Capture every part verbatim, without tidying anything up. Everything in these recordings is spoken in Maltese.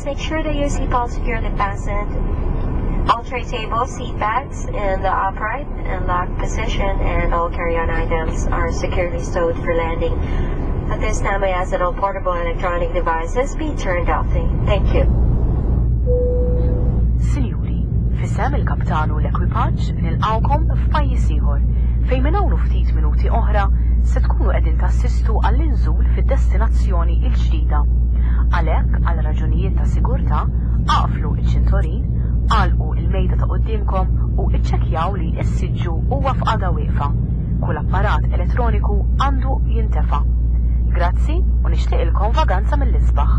Please make sure that your seatbelt securely fastened. All tray tables, seat backs in the upright and locked position, and all carry-on items are securely stowed for landing. At this time, I ask that all portable electronic devices be turned off. Thank you. Sinjuri, f'isem il-kaptanu l-ekwipaġġ nilqawkom f'pajjiż ieħor fejn minn hawn ftit minuti oħra se tkunu qegħdin tassistu għall-inżul fid-destinazzjoni l-ġdida. Għalhekk għal raġunijiet ta' sigurtà aqflu iċ-ċintorin, għalqu il-mejda ta' quddiemkom u iċċekkjaw li s-siġġu huwa f'qagħda wieqfa. Kull apparat elettroniku għandu jintefa. Grazzi u nixtieqilkom vaganza mill-isbaħ.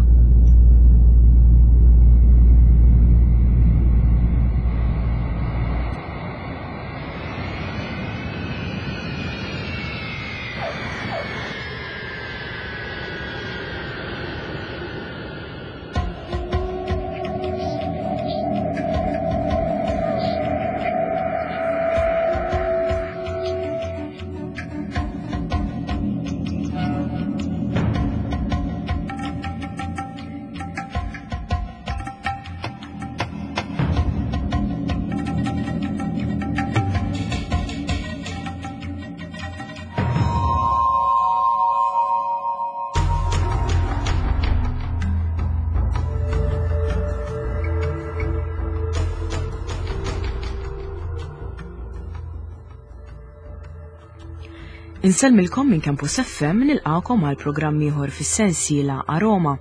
Insellmilkom minn Campus F M nilqakom għal programm ieħor fis-sensiela Aroma.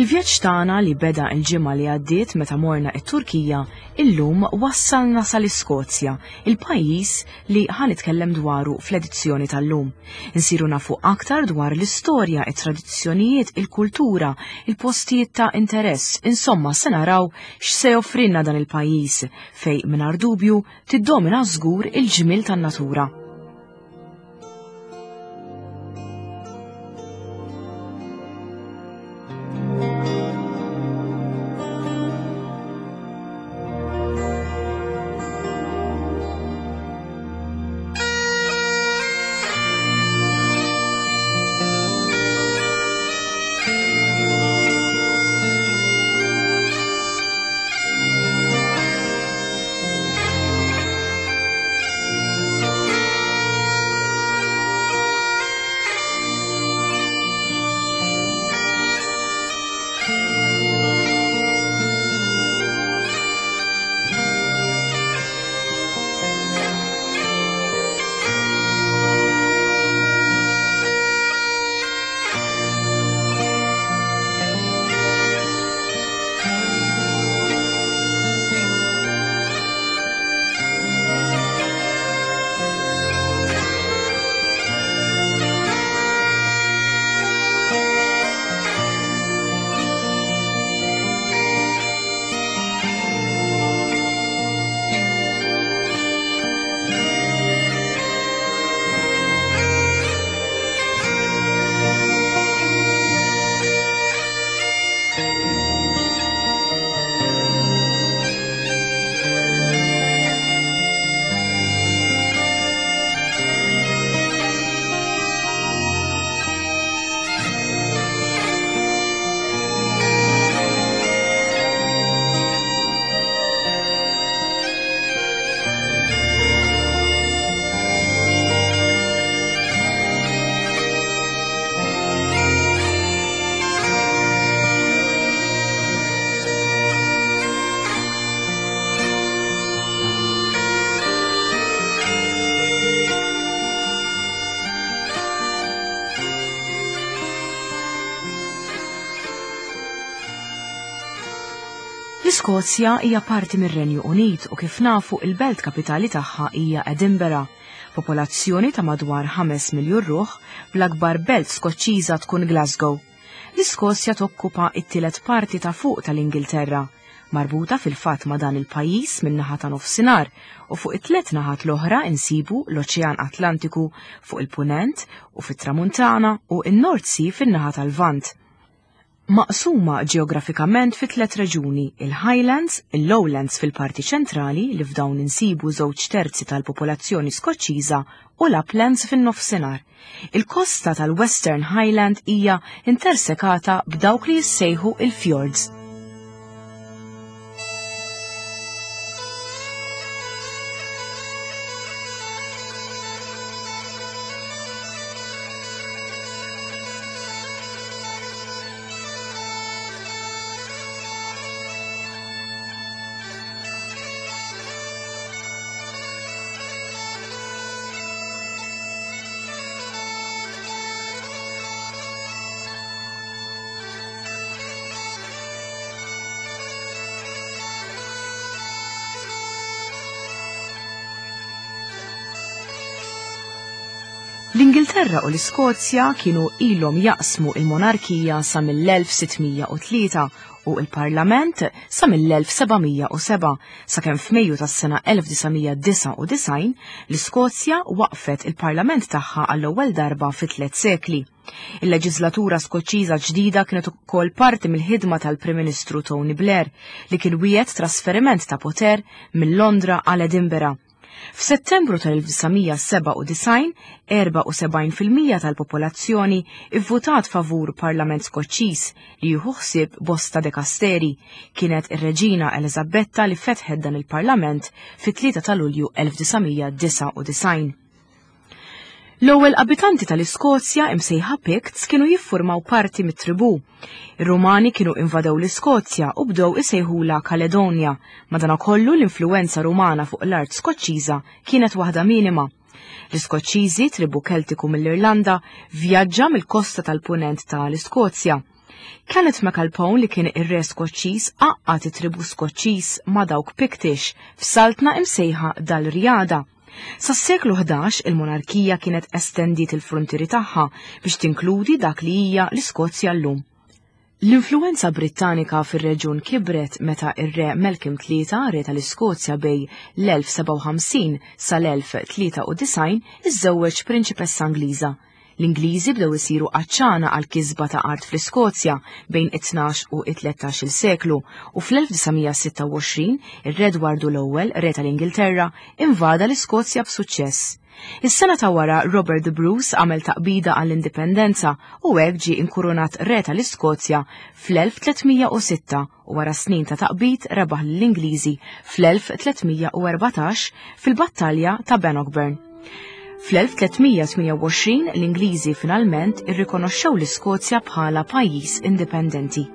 Il-vjaġġ tagħna li beda l-ġimgħa li għaddiet meta morna t-Turkija illum wassalna sal-Iskozja, il-pajjiż li ħanitkellem dwaru fl-edizzjoni tal-lum. Insiru nafu aktar dwar l-istorja, it-tradizzjonijiet, il-kultura, il-postijiet ta' interess, insomma se naraw x'se joffrilna dan il-pajjiż fejn mingħajr dubju tiddomina żgur il-ġmiel tan-natura. L-Iskozja hija parti mir-Renju Unit u kif nafu il-belt kapitali tagħha hija Edinburgh. Popolazzjoni ta' madwar ħames miljun ruħ, bl-akbar belt Skoċċiża tkun Glasgow. L-Iskozja tokkupa t-tielet parti ta' fuq tal-Ingilterra, marbuta fil-fatt ma' dan il-pajjiż min-naħa ta' nofsinhar u fuq it-tliet naħat l-oħra insibu l-Oċean Atlantiku fuq il-Punent u fit-Tramuntana u n-North Sea fin-naħa tal-Lvant. Maqsuma ġeografikament fi tliet reġuni, il-Highlands, il-Lowlands fil-parti ċentrali li f'dawn insibu żewġ terzi tal-popolazzjoni Skoċċiża u l-Uplands fin-nofsinhar. Il-kosta tal-Western Highland hija intersekata b'dawk li jissejħu il-fjords. L-Ingilterra u l-Iskozja kienu ilhom jaqsmu il-monarkija sa mill-elf sitt mija u tlieta u il-Parlament sa mill-elf seba' mija u seba', sakemm f'Mejju tas-sena elf disa' mija disgħa u disgħin l-Iskozja waqfet il-Parlament tagħha għall-ewwel darba fi tliet sekli. Il-leġislatura Skoċċiża ġdida kienet ukoll parti mill-ħidma tal-Prim Ministru Tony Blair li kien wiegħed trasferiment ta' poter minn Londra għal Edinburgh. F'Settembru tal-elf disa' mija seba' u disgħin, erba' u sebgħin fil-mija tal-popolazzjoni ivvutat favur Parlament Skoċċiż li jieħu ħsieb bosta dekasteri. Kienet ir-Reġina Eliżabetta li fetħet dan il-Parlament fit-tlieta ta' Lulju elf disa' mija disgħa u disgħin. L-ewwel abitanti tal-Iskozja imsejħa Picts kienu jiffurmaw parti mit-tribù. Ir-Rumani kienu invadew l-Iskozja u bdew isejħula Kaledonia, madanakollu l-influenza Rumana fuq l-art Skoċċiża kienet waħda minima. L-Iskoċċiżi, tribù Keltiku mill-Irlanda, vjaġġa mill-kosta tal-punent tal-Iskozja. Kenneth MacAlpone li kien ir-re Skoċċiż għaqqad it-tribù Skoċċiż ma' dawk Pictish f'saltna imsejħa Dalriada. Sas-seklu ħdax il-monarkija kienet estendiet il-frontieri tagħha biex tinkludi dak li hija l-Iskozja llum. L-influenza Brittanika fir-reġjun kibret meta ir-re Malcolm tlieta, re tal-Iskozja bej l-elf seba' u ħamsin sal-elf tlieta u disgħin, iżżewweġ prinċipessa Ingliża. L-Ingliżi bdew isiru għaċċana għal kisba ta' art fl-Iskozja bejn it-tnax u it-tlettax il seklu u fl-elf disa' mija sitta u għoxrin ir-Re Edwardu l-ewwel, re tal-Ingilterra, invada l-Iskozja b'suċċess. Is-sena ta' wara Robert the Bruce għamel taqbida għall-indipendenza u hekk ġie inkurunat re tal-Iskozja fl-elf tliet mija u sitta u wara snin ta' taqbid rebaħ lill-Ingliżi fl-elf tliet mija u erbatax fil-battalja ta' Bannockburn. Fl-elf tliet mija tmienja u għoxrin l-Ingliżi finalment irrikonoxxew l-Iskozja bħala pajjiż indipendenti.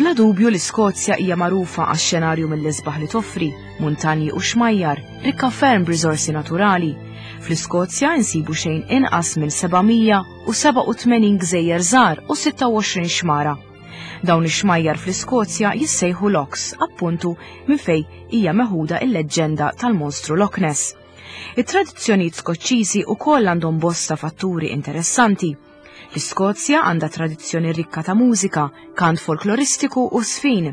Bla dubju l-Iskozja hija magħrufa għax-xenarju mill-isbaħ li toffri, muntanji u xmajjar, rikka ferm b'riżorsi naturali. Fl-Iskozja insibu xejn inqas minn seba' mija u seba' u tmenin gżejjer żgħar u sitta u għoxrin xmara. Dawn ix-xmajjar fl-Iskozja jissejħu Lochs, appuntu minn fej hija meħuda il-leġġenda tal-monstru Loch Ness. It-tradizzjonijiet Skoċċiżi wkoll għandhom bosta fatturi interessanti. L-Iskozja għandha tradizzjoni rikka ta' mużika, kant folkloristiku u sfin.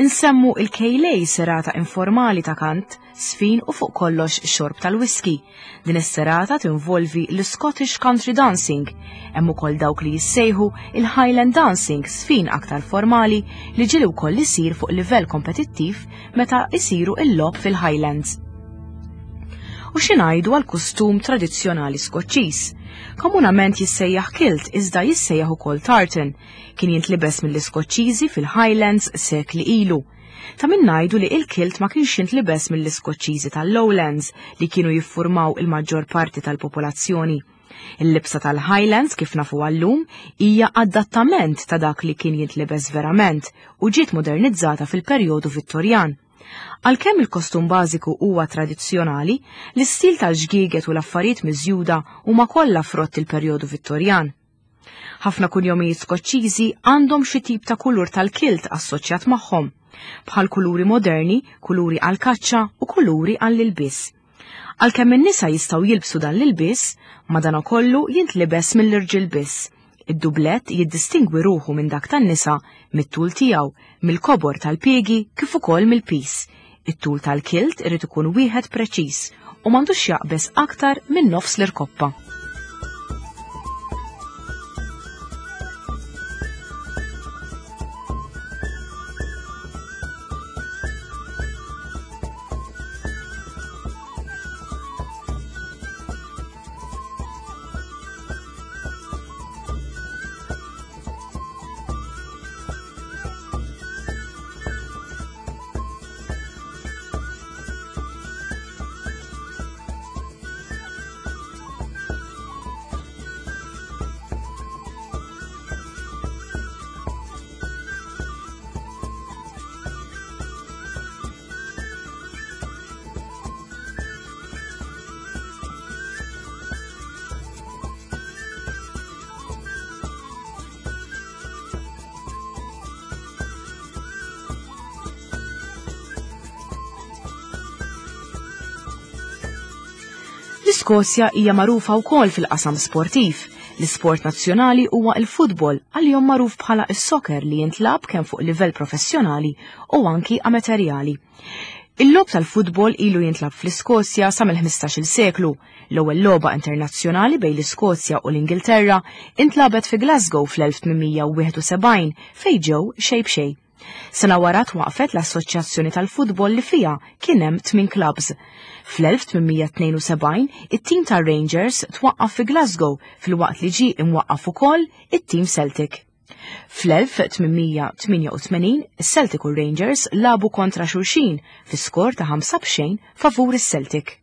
Insemmu il-Ceilidh, serata informali ta' kant, sfin u fuq kollox xorb tal-whisky. Din is-serata tinvolvi l-Scottish Country Dancing. Hemm ukoll dawk li jissejħu il-Highland Dancing, sfin aktar formali li ġieli wkoll isir fuq livell kompetittiv meta isiru il-logħob fil-Highlands. U xi ngħidu għal kustum tradizzjonali Skoċċiż? Komunament jissejjaħ kilt iżda jissejjaħ ukoll tartan. Kien jintlibes mill-Iskoċċiżi fil-Highlands sekli ilu. Ta' min ngħidu li il-kilt ma kienx jintlibes mill-Iskoċċiżi tal-Lowlands li kienu jiffurmaw il-maġġor parti tal-popolazzjoni. Il-libsa tal-Highlands kif nafu għallum hija adattament ta' dak li kien jintlibes verament u ġiet modernizzata fil-perjodu Vittorjan. Għalkemm il-kostum bażiku huwa tradizzjonali, l-istil tal-ġgieget u l-affarijiet miżjuda huma kollha frott il-perjodu Vittorjan. Ħafna kunjomijiet Skoċċiżi għandhom xi tip ta' kulur tal-kilt assoċjat magħhom, bħal kuluri moderni, kuluri għall-kaċċa u kuluri għall-ilbies. Għalkemm in-nisa jistgħu jilbsu dan l-ilbies, madanakollu jintlibes mill-irġiel biss. Id-dublett jiddistingwi ruħu minn dak tan-nisa mit-tul tiegħu, mill-kobor tal-piegi kif ukoll mill-pis. It-tul tal-kilt irid ikun wieħed preċiż u m'għandux jaqbeż aktar minn nofs l-irkoppa. L-Iskozja hija magħrufa wkoll fil-qasam sportiv. L-isport nazzjonali huwa l-futbol, għalihom magħruf bħala s-soccer li jintlab kemm fuq livell professjonali u anki amaterjali. Il-logħob tal-futbol ilu jintlab fl-Iskozja sa mill-ħmistax-il seklu. L-ewwel logħba internazzjonali bejn l-Iskozja u l-Ingilterra intlabet fi Glasgow fl-elf tmien u wieħed u sebgħin fejn ġew xejn b'xejn. Sena wara twaqfet l-Assoċjazzjoni tal-Futbol li fiha kien hemm tmien clubs. Fl-elf tmien mija tnejn u sebgħin it-tim tar-Rangers twaqqaf fi Glasgow filwaqt li ġie imwaqqaf ukoll it-tim Celtic. Fl-elf tmien mija tmienja u tmenin is-Celtic u Rangers lagħbu kontra xulxin fi skor ta' ħamsa b'xejn favur is-Celtic.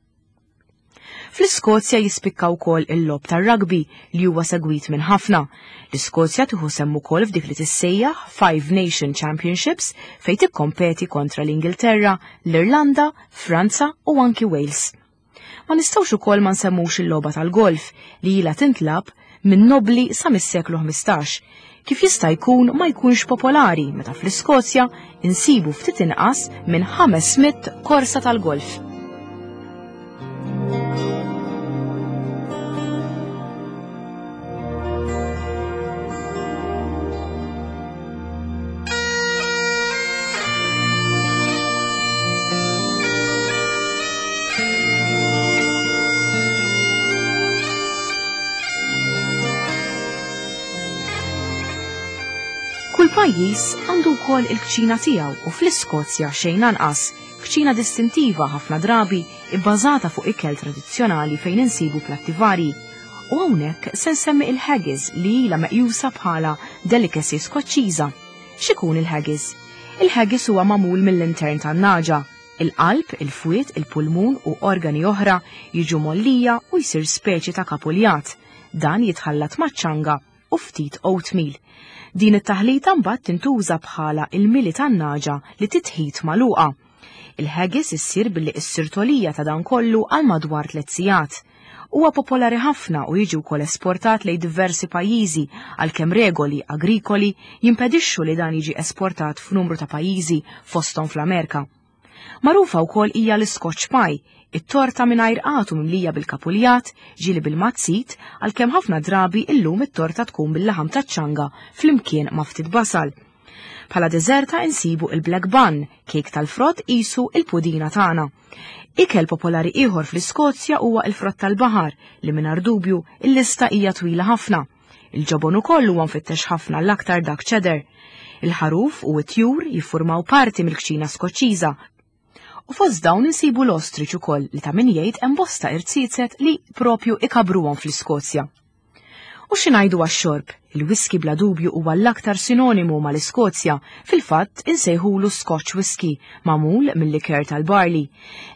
Fl-Iskozja jispikka wkoll il-logħob tar-rugby li huwa segwit minn ħafna. L-Iskozja tieħu sehem ukoll f'dik li tissejjaħ Five Nation Championships fejn tikkompeti kontra l-Ingilterra, l-Irlanda, Franza u anki Wales. Ma nistgħux ukoll ma nsemmux il-logħba tal-golf li ilha tintlab minn nobli sa mis-seklu ħmistax. Kif jista' jkun ma jkunx popolari meta fl-Iskozja insibu ftit inqas minn ħames mitt korsa tal-golf. Kull pajjiż għandu wkoll il-kċina tiegħu u fl-Iskozja xejn anqas, kċina distintiva ħafna drabi ibbażata fuq ikel tradizzjonali fejn insibu platti varji. U hawnhekk se nsemmi il-haggis li ilha meqjusa bħala delicacy Skoċċiża. X'ikun il-haggis? Il-haggis huwa magħmul mill-intern tan-naġa. Il-qalb, il-fwiet, il-pulmun u organi oħra jiġu mollija u jsir speċi ta' kapuljat. Dan jitħallat maċ-ċanga u ftit oatmeal. Din it-taħlita mbagħad tintuża bħala il-mili tan-naġa li titħit magħluqa. Il-haggis issir billi issir tolija ta' dan kollu għal madwar tliet sigħat. Huwa popolari ħafna u jiġi wkoll esportat lejn diversi pajjiżi għalkemm regoli agrikoli jimpedixxu li dan jiġi esportat f'numru ta' pajjiżi fosthom fl-Amerika. Magħrufa wkoll hija l-Scotch pie, it-torta mingħajr qatu mimlija bil-kapuljat, ġieli bil-mazzit, għalkemm ħafna drabi illum it-torta tkun bil-laħam taċ-ċanga flimkien ma' ftit basal. Bħala deżerta insibu il-black bun, kejk tal-frott qisu il-pudina tagħna. Ikel popolari ieħor fl-Iskozja huwa il-frott tal-baħar li mingħajr dubju il-lista hija twila ħafna. Il-ġobon ukoll huwa mfittex ħafna l-aktar dak cheddar. Il-ħaruf u t-tjur jiffurmaw parti mill-kċina Skoċċiża. U fost dawn insibu l-ostrich ukoll li ta' min jgħid hemm bosta irziezet li propju ikabruhom fl-Iskozja. U xi ngħidu għax-xorb? Il-whisky bla dubju huwa l-aktar sinonimu mal-Iskozja, fil-fatt insejħulu Scotch whisky, magħmul mill-liker tal-barley.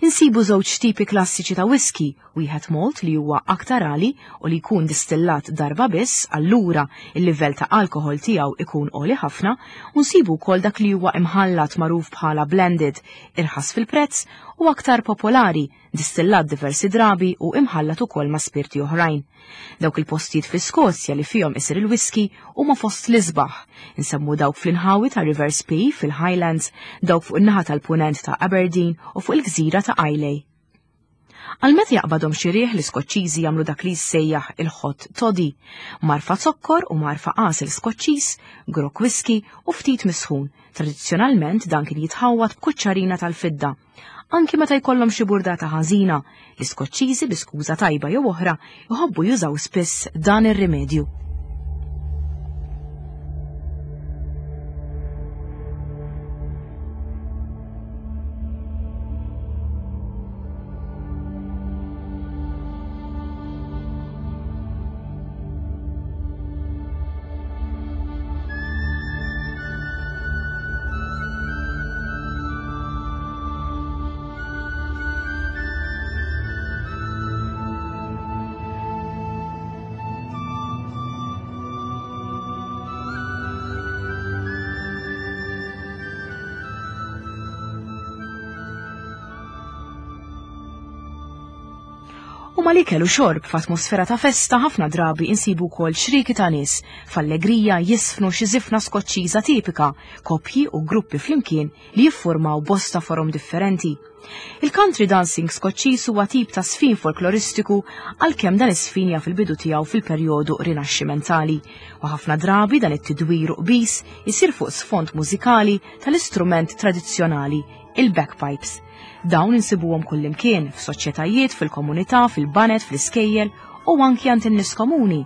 Insibu żewġ tipi klassiċi ta' whisky, wieħed malt li huwa aktar għali u li jkun distillat darba biss, allura il-livell ta' alkohol tiegħu ikun għoli ħafna, u nsibu wkoll dak li huwa imħallat magħruf bħala blended, irħas fil-prezz u aktar popolari, distillat diversi drabi u imħallat ukoll ma' spirti oħrajn. Dawk il-postijiet fl-Iskozja li fihom isir il-whisky huma fost l-isbaħ. Insemmu dawk fl-inħawi ta' River Spey fil-Highlands, dawk fuq in-naħa tal-punent ta' Aberdeen u fuq il-gżira ta' Islay. Għal meta jaqbadhom xi riħ l-Iskoċċiżi jagħmlu dak li jissejjaħ il-hot toddy, marfa zokkor u marfa għasel Skoċċiż, grok whisky u ftit misħun. Tradizzjonalment dan kien jitħawwad b'kuċċarina tal-fidda. Anki meta jkollhom xi burdata ħażina, l-Iskoċċiżi bi skuża tajba jew oħra jħobbu jużaw spiss dan ir-rimedju. U mal-ikel u xorb f'atmosfera ta' festa ħafna drabi insibu wkoll xriki ta' nies f'allegrija jisfnu xi żifna Skoċċiża tipika, koppji u gruppi flimkien li jiffurmaw bosta forom differenti. Il-country dancing Skoċċiż huwa tip ta' sfin folkloristiku għalkemm dan is-sfin jaf il-bidu tiegħu fil-perjodu rinaxximentali, u ħafna drabi dan it-tidwir u qbis isir fuq sfond mużikali tal-istrument tradizzjonali, il-bagpipes. Dawn insibuhom kullimkien, f'soċjetajiet, fil-komunità, fil-banet, fl-iskejjel u anki għand in-nies komuni.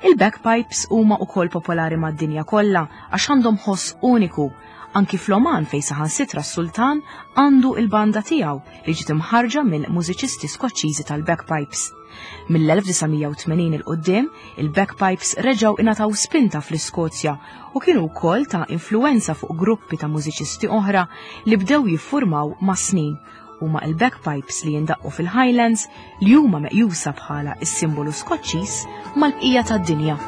Il-bagpipes huma wkoll popolari mad-dinja kollha għax għandhom ħoss uniku. Anki fl-Oman fejn saħansitra s-sultan għandu il-banda tiegħu li ġiet imħarġa minn mużiċisti Skoċċiżi tal-bagpipes. Mill-elf disa' mija u tmenin il quddiem, il-bagpipes reġgħu ingħataw spinta fl-Iskozja u kienu wkoll ta' influenza fuq gruppi ta' mużiċisti oħra li bdew jiffurmaw ma' snin. Huma il-bagpipes li jindaqqu fil-Highlands li huma meqjusa bħala s-simbolu Skoċċiż mal-bqija tad-dinja.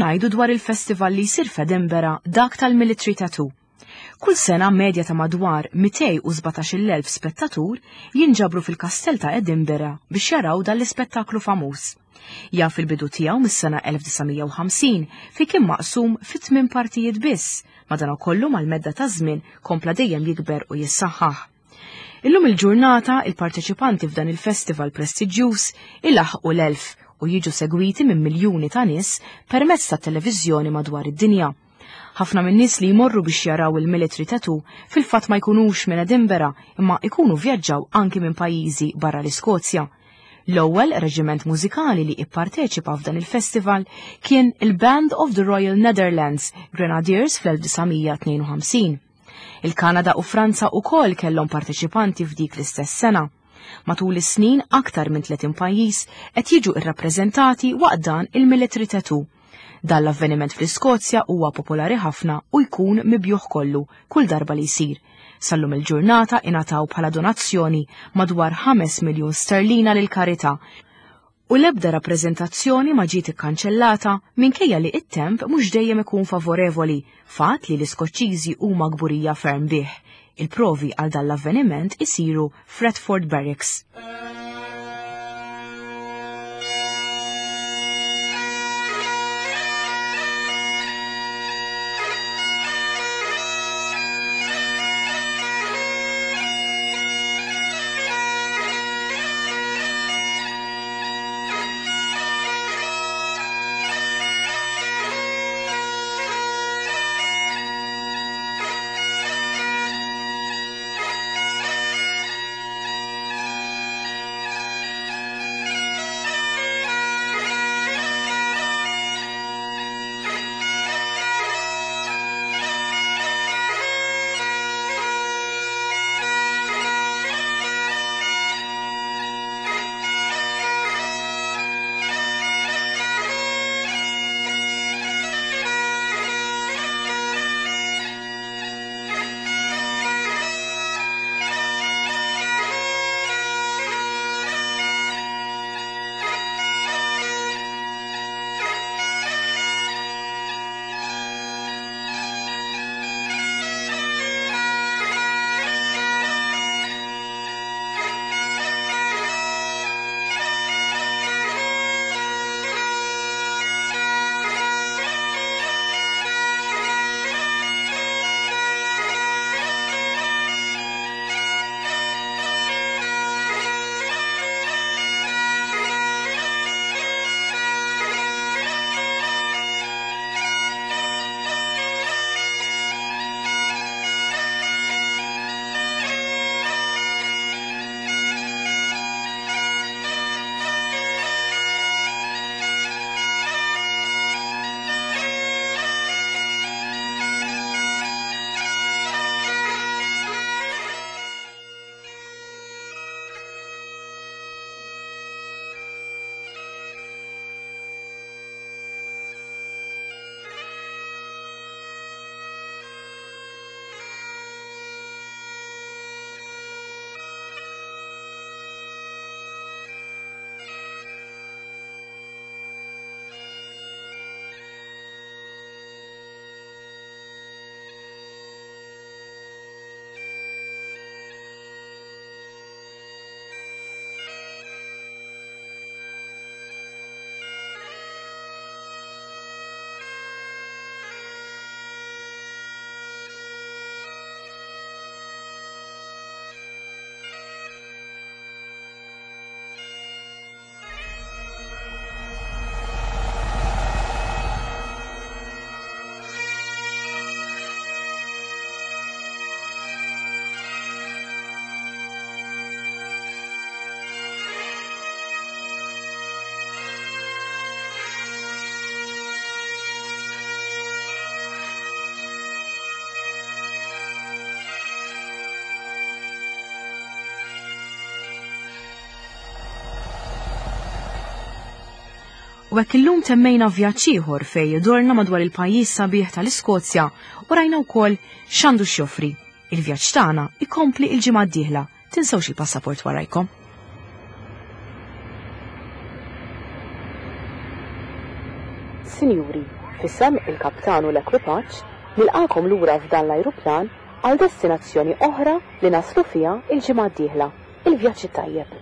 Xi ngħidu dwar il-festival li jsir f'Edinburgh, dak tal-Military Tattoo? Kull sena medja ta' madwar mitejn u sbatax-il elf spettatur jinġabru fil-kastell ta' Edinburgh biex jaraw dan l-ispettaklu famuż. Jaf il-bidu tiegħu mis-sena elf disa' mija u ħamsin fi kien maqsum fi tmien partijiet biss, madanakollu mal-medda ta' żmien kompla dejjem jikber u jissaħħaħ. Illum il-ġurnata il-parteċipanti f'dan il-festival prestiġjuż ilaħqu l-elf u jiġu segwiti minn miljuni ta' nies permezz ta' televiżjoni madwar id-dinja. Ħafna minn nies li jmorru biex jaraw il-Military Tattoo fil-fatt ma jkunux minn Edinburgh, imma ikunu vjaġġaw anki minn pajjiżi barra l-Iskozja. L-ewwel reġiment mużikali li ipparteċipa f'dan il-festival kien il-Band of the Royal Netherlands Grenadiers fl-elf disa' mija tnejn u ħamsin. Il-Kanada u Franza ukoll kellhom parteċipanti f'dik l-istess sena. Matul is-snin aktar minn tletin pajjiż qed jiġu irrappreżentati waqt dan il-Military Tattoo. Dan l-avveniment fl-Iskozja huwa popolari ħafna u jkun mibjugħ kollu kull darba li jsir. Sallum il-ġurnata ingħataw bħala donazzjoni madwar ħames miljun sterlina lil karità u l-ebda rappreżentazzjoni ma ġiet ikkanċellata minkejja li it-temp mhux dejjem ikun favorevoli, fatt li l-Iskoċċiżi huma kburija ferm bih. Il-provi għal dan l-avveniment isiru Fredford Barracks. U hekk illum temmejna vjaġġ ieħor fejn dorna madwar il-pajjiż sabiħ tal-Iskozja u rajna wkoll x'għandu x'joffri. Il-vjaġġ tagħna ikompli il-ġimgħa d-dieħla. Tinsewx il-passaport warajkom. Sinjuri, F'isem il-kaptan u l-ekwipaġġ, nilqagħkom lura f'dan l-ajruplan għal destinazzjoni oħra li naslu fiha l-ġimgħa d-dieħla. Il-vjaġġ it-tajjeb.